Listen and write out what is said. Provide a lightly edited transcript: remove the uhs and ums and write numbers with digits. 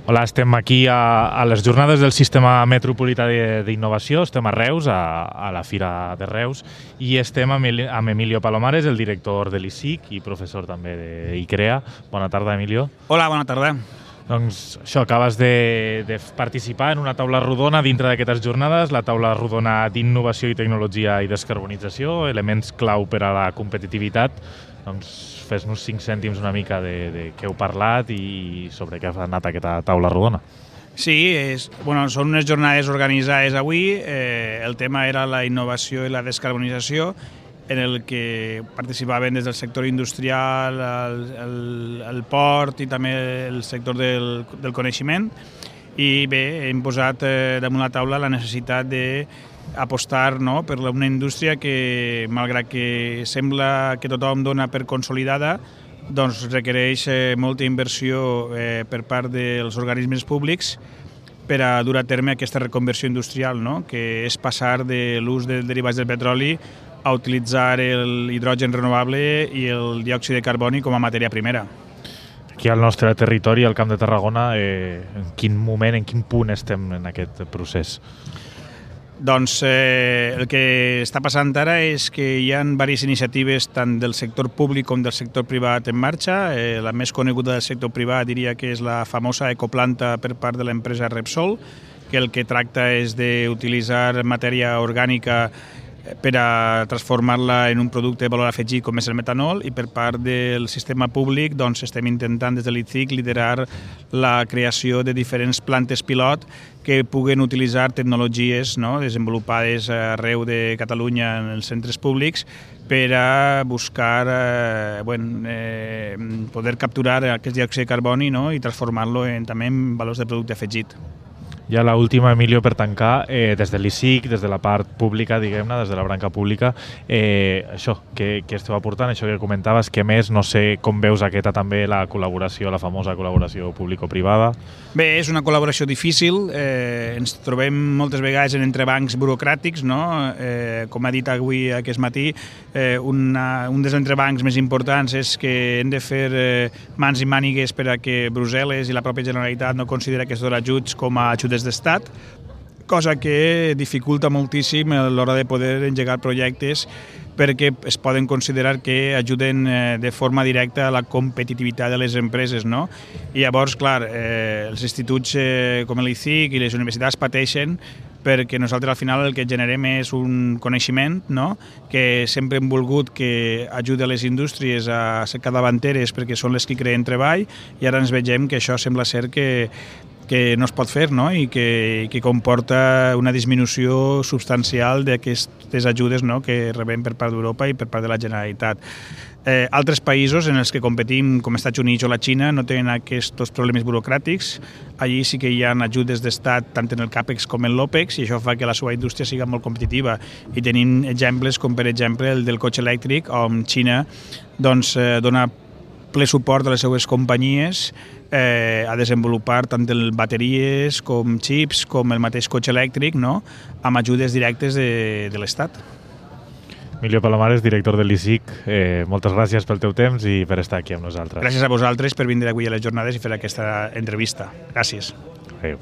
Hola, estem aquí a les jornades del Sistema Metropolità d'Innovació, estem a Reus, a la Fira de Reus, i estem amb Emilio Palomares, el director de l'ICIC i professor també d'ICREA. Bona tarda, Emilio. Hola, bona tarda. Doncs això, acabes de participar en una taula rodona dintre d'aquestes jornades, la taula rodona d'innovació i tecnologia i descarbonització, elements clau per a la competitivitat. Doncs fes-nos 5 cèntims una mica de què heu parlat i sobre què ha anat aquesta taula rodona. Sí, són unes jornades organitzades avui. El tema era la innovació i la descarbonització, en el que participaven des del sector industrial, el port i també el sector del coneixement. I bé, hem posat damunt la taula la necessitat d'apostar per una indústria que, malgrat que sembla que tothom dona per consolidada, doncs requereix molta inversió per part dels organismes públics per a dur a terme aquesta reconversió industrial, que és passar de l'ús de derivats del petroli a utilitzar l'hidrogen renovable i el diòxid de carboni com a matèria primera. Aquí al nostre territori, al Camp de Tarragona, en quin moment, en quin punt estem en aquest procés? Doncs el que està passant ara és que hi ha diverses iniciatives tant del sector públic com del sector privat en marxa. La més coneguda del sector privat diria que és la famosa ecoplanta per part de l'empresa Repsol, que el que tracta és d'utilitzar matèria orgànica per a transformar-la en un producte de valor afegit com és el metanol, i per part del sistema públic doncs estem intentant des de l'ICIC liderar la creació de diferents plantes pilot que puguen utilitzar tecnologies desenvolupades arreu de Catalunya en els centres públics per a buscar poder capturar aquest diòxid de carboni i transformar-lo també en valors de producte afegit. Ja l'última, Emilio, per tancar, des de l'ICIC, des de la part pública, diguem-ne, des de la branca pública, això, què esteu aportant, això que comentaves, què més, no sé com veus aquesta també la col·laboració, la famosa col·laboració público-privada? Bé, és una col·laboració difícil, ens trobem moltes vegades en entrebancs burocràtics, com ha dit avui aquest matí, un dels entrebancs més importants és que hem de fer mans i mànigues per a que Brussel·les i la pròpia Generalitat no considera aquests ajuts com a ajudes d'estat, cosa que dificulta moltíssim a l'hora de poder engegar projectes perquè es poden considerar que ajuden de forma directa a la competitivitat de les empreses. I llavors, clar, els instituts com l'ICIC i les universitats pateixen perquè nosaltres al final el que generem és un coneixement que sempre hem volgut que ajudi a les indústries a ser capdavanteres perquè són les que creen treball, i ara ens vegem que això sembla ser que no es pot fer i que comporta una disminució substancial d'aquestes ajudes que rebem per part d'Europa i per part de la Generalitat. Altres països en els que competim, com Estats Units o la Xina, no tenen aquests problemes burocràtics. Allí sí que hi ha ajudes d'estat tant en el CAPEX com en l'OPEX, i això fa que la seva indústria sigui molt competitiva. I tenim exemples com, per exemple, el del cotxe elèctric, on Xina dona ple suport a les seues companyies a desenvolupar tant bateries com xips com el mateix cotxe elèctric amb ajudes directes de l'Estat. Emilio Palomares, director de l'ICIC, moltes gràcies pel teu temps i per estar aquí amb nosaltres. Gràcies a vosaltres per vindre avui a les jornades i fer aquesta entrevista. Gràcies. Adéu.